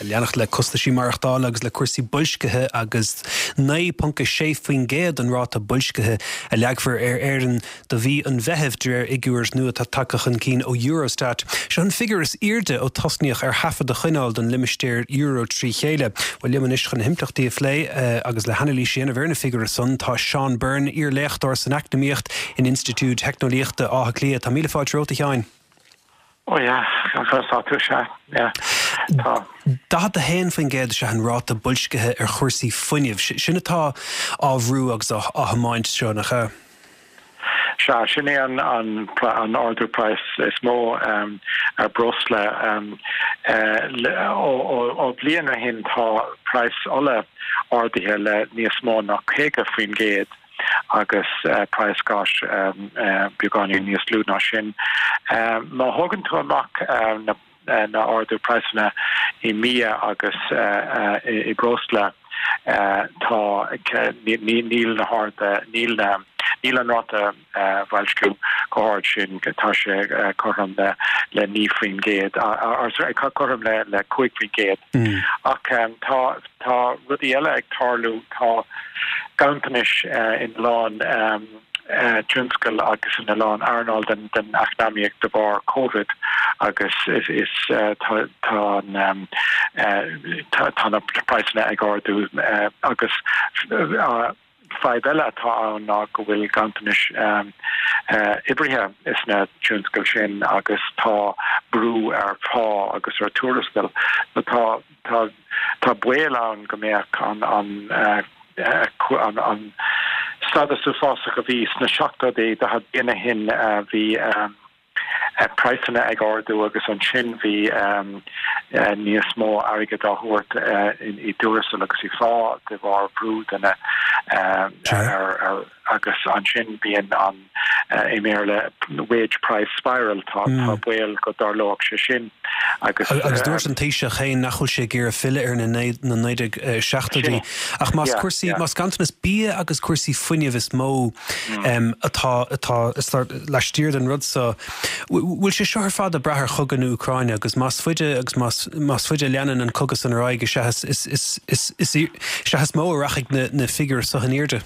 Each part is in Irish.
Leanacht le costaisí maireachtála agus le cúrsaí boilscithe agus 9.6% an ráta boilscithe a leagfar ar Éirinn do mhí an Mheithimh, de réir fhigiúir nua atá tagtha chun cinn ó Eurostat. Seo an figiúr is airde ó tosnaíodh ar thaifead a choinneáil don limistéar euro trí chéile. Bhuel, liom anois chun na himpleachtaí a phlé agus le hanailís a dhéanamh ar na figiúirí san tá Seán Byrne, iar-léachtóir san eacnamaíocht in Institiúid Theicneolaíochta Átha Cliath. Tá míle fáilte romhat, a Sheáin. Oh yeah, conas tá tú? Sea, yeah, tá. 41% is ea an ráta boilscithe ar chúrsaí fuinnimh. Sin atá á bhrú agus á thiomáint seo, nach ea? Sea, sin é an an ardú praghas is mó ar breosla. Ó bhliain ó shin tá praghas ola ardaithe le níos mó ná 50%. agus praghas gáis beagáinín níos lú ná sin. Má thógann tú amach na na ardú praghsanna i mbia agus i breosla tá níl na harda níl na níl an ráta boilsciú chomh hard sin, tá sé cothrom le le 9%, cothrom le le 5%. Ach tá tá rudaí eile ag tarlú, tá ganntanais in a lán tionscal agus in a lán earnáil den den eacnamaíocht de bharr Covid agus is is tá tá an tá na praghsanna ag ardú agus Fadhb eile atá ann ná go bhfuil ganntanais oibrithe sna tionscail sin agus tá brú ar phá agus ar tuarastail. Tá tá tá baol ann go mbeadh an an an an stádas uafásach a bhí sna seachtóidí 40 bliain ó shin bhí praghsanna ag ardú agus ansin bhí níos mó airgid á thabhairt i dtuarastal agus i phá de bharr brú de na ar agus ansin bíonn an i mBéarla wage price spiral tá tá baol go dtarlódh sé sin agus Agus dúirt an Taoiseach féin nach bhfuil sé ag iarraidh filleadh ar na 1970idí ach más cúrsaí más ganntanas bia agus cúrsaí fuinnimh is mó atá atá laistiar den rud so. Bhfuil sé seo ar fad ag brath ar chogadh na Úcráine agus más faide agus más más faide a leanann an cogadh san ar aghaidh is ea is is is is is ea is mó a rachaidh na na figiúir so in airde.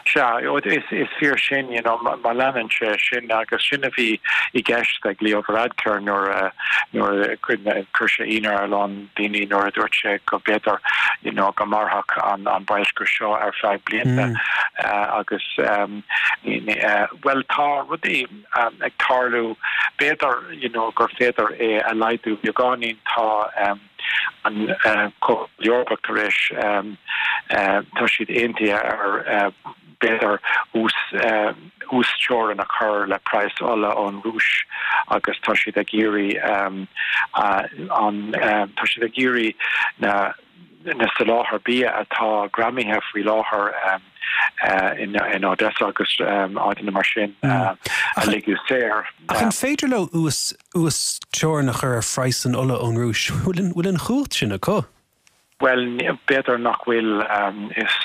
Sea, is is fíor sin, you know, má leanann sé sin agus sin a bhí i gceist ag Leo Varadkar nuair a nuair a chuir sé ionadh ar a lán daoine nuair a dúirt sé go b'fhéidir you know go mairfeadh an an boilsciú seo ar feadh blianta agus bhuel tá rudaí ag tarlú b'fhéidir you know gur féidir é a laghdú beagáinín tá an Comhphobal Eorpach tar éis tá siad aontaithe ar b'fhéidir uasteorainn a chur le praghas ola ón Rúis agus tá siad ag iarraidh an tá siad ag iarraidh na na soláthar bia atá greamaithe faoi láthair in in Odessa agus áiteanna mar sin a ligeadh saor. Ach an féidir leo uas uasteorainn a chur ar phraghas an ola ón Rúis? Bhfuil an chumhacht sin acu? Bhuel, b'fhéidir nach bhfuil. Is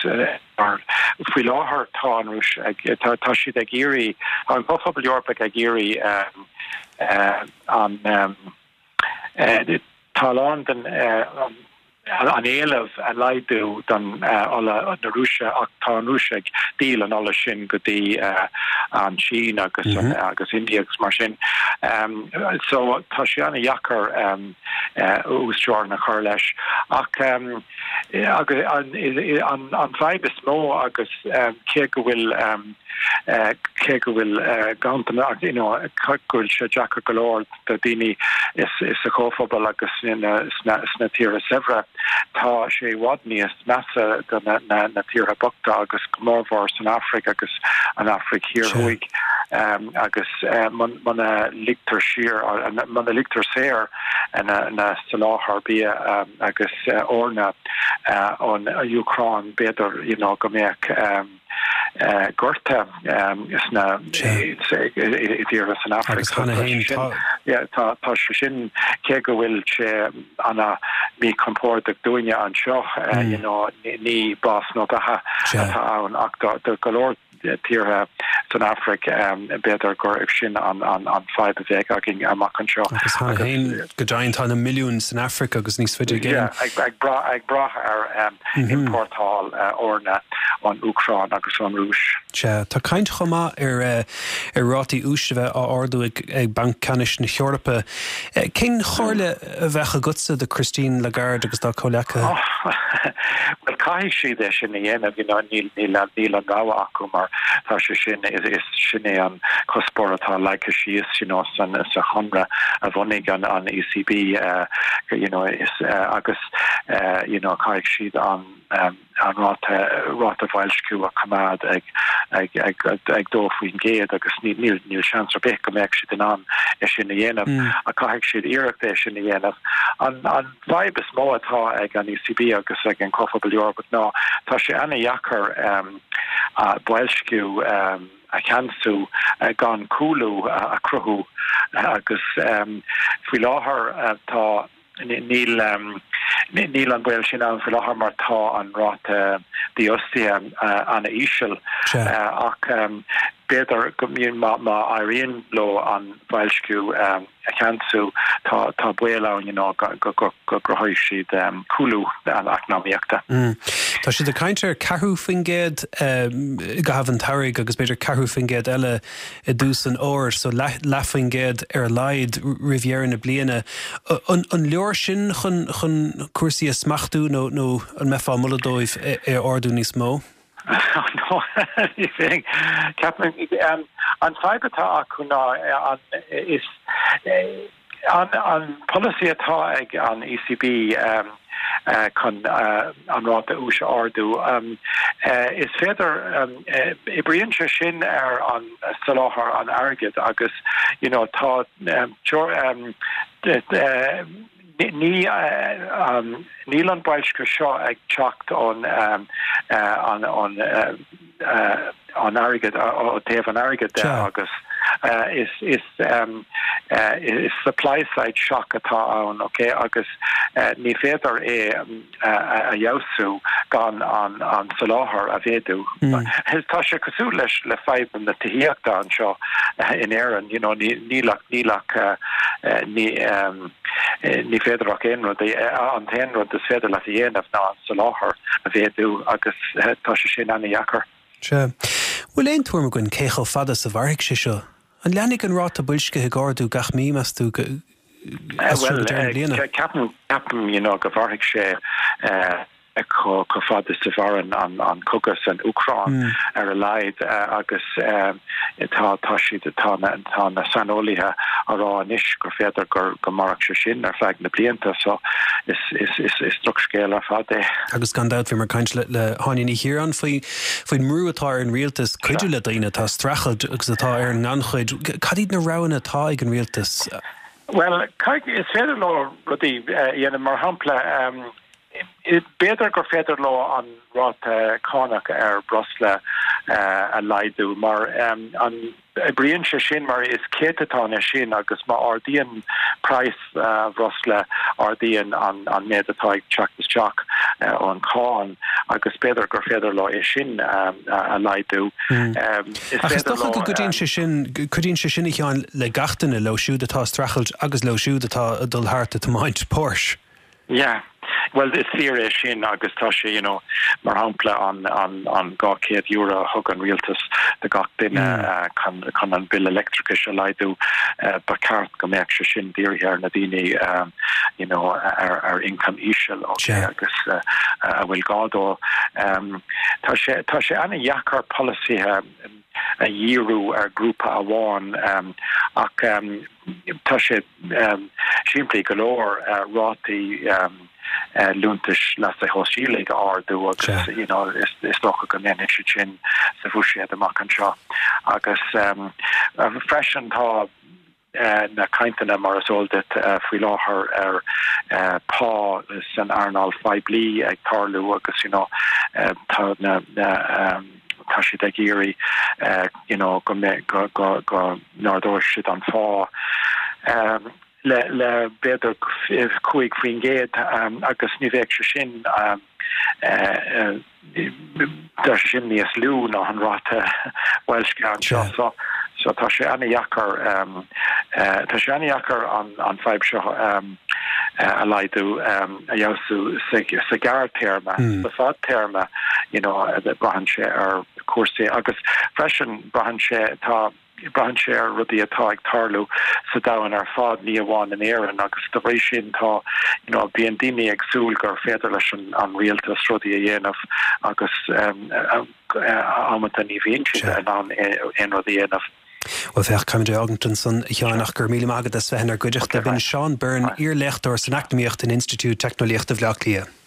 faoi láthair tá an Rúis ag, tá siad ag iarraidh, tá an Comhphobal Eorpach ag iarraidh an, tá a lán den an éileamh a laghdú don ola na Rúise ach tá an Rúis ag díol an ola sin go dtí an tSín agus agus India agus mar sin. So tá sé an-dheacair uasteorainn a chur leis. Ach an fhadhb is mó agus cé go bhfuil cé go bhfuil ganntanas you know go bhfuil sé deacair go leor do daoine sa Chomhphobal agus sna tíortha saibhre, tá sé i bhfad níos measa do na tíortha bochta agus go mórmhór san Afraic agus an Afraic Thiar Thuaidh agus muna ligtear siar, muna ligtear saor na soláthar bia agus eorna ón Úcráin, b'fhéidir you know go mbeadh gorta sna i dtíortha san Afraic. Agus cheana féin tá. Yeah, tá tá sé sin cé go bhfuil sé ana míchompordach dúinne anseo, you know, ní bás nó beatha atá ann ach do go leor tíortha. san Afraic, b'fhéidir gur sin an fadhb a bheidh againn amach anseo. Agus cheana féin, go deimhin, tá na milliúin san Afraic agus níos faide i gcéin. Ag brath ar iompórtáil eorna ón Úcráin agus ón Rúis. Sea, tá caint chomh maith ar rátaí úis a bheith á ardú ag Banc Ceannais na hEorpa. Cén chomhairle a bheadh agatsa do Christine Lagarde agus dá comhleacaithe? Bhuel, caithfidh siad é sin a dhéanamh, you know, níl, níl, níl an rogha acu mar tá sé sin, is, sin é an cuspóir atá leagtha síos, you know, san, sa chonradh a bhunaigh an, an ECB, you know, is, agus, you know, caithfidh siad an, an ráta ráta boilsciú a choimeád ag ag ag ag 2% agus níl níl níl seans ar bith go mbeadh siad in ann é sin a dhéanamh ach caithfidh siad iarracht é sin a dhéanamh. An an fadhb is mó atá ag an ECB agus ag an Comhphobal Eorpach ná tá sé ana-dheacair boilsciú a cheansú gan cúlú a chruthú agus faoi láthair tá Níl níl an baol sin ann faoi láthair mar tá an ráta dífhostaithe an-íseal ach b'fhéidir go má má éiríonn leo an boilsciú a cheansú tá tá baol ann you know go go go gcruthóidh siad cúlú eacnamaíochta. Tá siad ag caint ar 4% i gcaitheamh an tsamhraidh agus b'fhéidir 4% eile i dtús an fhómhair, so leathfaoin gcéad ar a laghad roimh dheireadh na bliana. An leor sin chun chun cúrsaí a smachtú nó nó an mbeifeá ag moladh dóibh é a ardú níos mó? No, ní bheinn. Ceapaim, an fadhb atá acu ná an is An polasaí atá ag an ECB chun an ráta úis a ardú, is féidir, oibríonn sé sin ar an soláthar an airgid agus you know tá ní níl an boilsciú seo ag teacht ón an an airgead ó taobh an airgid de agus is is is supply side shock atá ann ok agus ní féidir é a fheabhsú gan an an soláthar a mhéadú. Tá sé cosúil leis le fadhb na tithíochta anseo in Éirinn you know ní níl ach níl ach ní Ní féidir ach aon rud, an t-aon rud is féidir leat a dhéanamh ná an soláthar a mhéadú agus tá sé sin ana-dheacair. Sea. Bhfuil aon tuairim againn cé chomh fada is a mhairfidh sé seo? An leanfaidh an ráta boilscithe ag ardú gach mí, meas tú, as seo go deireadh na bliana? Bhuel, ceapaim, ceapaim, you know, go mhairfidh sé chomh fada is a mhaireann an cogadh san Úcráin ar a laghad agus tá tá siad tá na tá na saineolaithe á rá anois gur féidir gur go mairfeadh sé sin ar feadh na blianta so is is is is drochscéal ar fad é. Agus gan dabht bhíomar ag caint le le hÁine Ní Chiaráin faoi faoin mbrú atá ar an rialtas cuidiú le daoine atá ag streachailt agus atá ar an ngannchuid. Cad iad na roghanna atá ag an rialtas? Bhuel, is féidir leo rudaí a dhéanamh mar shampla B'fhéidir gur féidir leo an ráta cánach ar bhreosla a laghdú mar an oibríonn sé sin mar is céatatán é sin agus má ardaíonn praghas bhreosla ardaíonn an méid atá ag teacht isteach ón cháin agus b'fhéidir gur féidir leo é sin a laghdú. Ach is dócha go gcuidíonn sé sin, cuidíonn sé sin a Sheáin le gach duine, leo siúd atá ag streachailt agus leo siúd atá ag dul thart ag tiomáint Porsche. Yeah. Bhuel, is fíor é sin agus tá sé, you know, mar shampla an, an, an €200 a thug an rialtas do gach duine chun, chun an bille leictreachais a laghdú, ba cheart go mbeadh sé sin dírithe ar na daoine, you know, ar, ar ioncam íseal, okay, agus a bhfuil gá dó. Tá sé, tá sé an-dheacair polasaithe a dhíriú ar ghrúpa amháin ach tá sé simplí go leor rátaí liúntais leasa shóisialaigh a ardú agus you know is dócha go ndéanfaidh siad sin sa bhuiséad amach anseo. Agus freisin tá na cainteanna mar is eol duit faoi láthair ar pá san earnáil phoiblí ag tarlú agus you know tá na tá siad ag iarraidh you know go go go go n-ardóidh siad an phá le le b'fhéidir 5% agus ní bheadh sé sin. Tá sé sin níos lú ná an ráta boilscithe anseo. So so tá sé an-dheacair tá sé an-dheacair an an fadhb seo a laghdú a fheabhsú sa sa ghearrthéarma. Sa fadtéarma you know braitheann sé ar chúrsaí agus freisin braitheann sé tá Braitheann sé ar rudaí atá ag tarlú sa domhan ar fad, ní amháin in Éirinn, agus dá bhrí sin tá, you know, bíonn daoine ag súil gur féidir leis an an rialtas rudaí a dhéanamh agus amanta ní bhíonn siad in ann aon rud a dhéanamh. Bhuel, féach, caithfimid é a fhágaint ansan, a Sheáin, ach go raibh míle maith agat as bheith inár gcuideachta. B'in Seán Byrne, iar-léachtóir san Eacnamaíocht in Institiúid Teicneolaíochta Bhaile Átha Cliath.